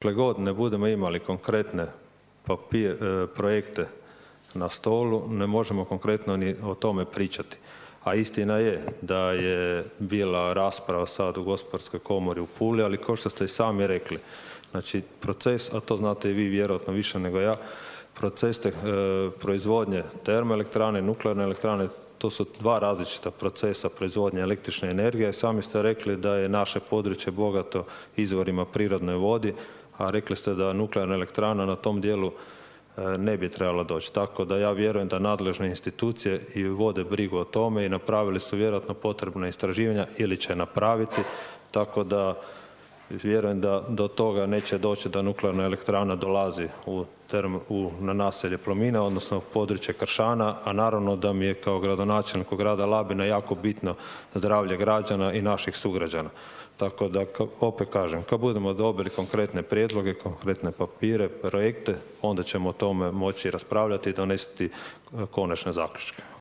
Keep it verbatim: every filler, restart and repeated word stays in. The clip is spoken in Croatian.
Dokle god ne budemo imali konkretne papir, projekte na stolu, ne možemo konkretno ni o tome pričati. A istina je da je bila rasprava sad u Gospodarskoj komori u Puli, ali kao što ste i sami rekli, znači proces, a to znate i vi vjerojatno više nego ja, proces te, e, proizvodnje termoelektrane i nuklearne elektrane, to su dva različita procesa proizvodnje električne energije. Sami ste rekli da je naše područje bogato izvorima prirodne vodi, a rekli ste da nuklearna elektrana na tom dijelu ne bi trebala doći. Tako da ja vjerujem da nadležne institucije i vode brigu o tome i napravili su vjerojatno potrebna istraživanja ili će napraviti, tako da vjerujem da do toga neće doći da nuklearna elektrana dolazi u, term, u na naselje Plomina, odnosno u područje Kršana, a naravno da mi je kao gradonačelniku grada Labina jako bitno zdravlje građana i naših sugrađana. Tako da, opet kažem, kad budemo dobili konkretne prijedloge, konkretne papire, projekte, onda ćemo o tome moći raspravljati i donesti konačne zaključke.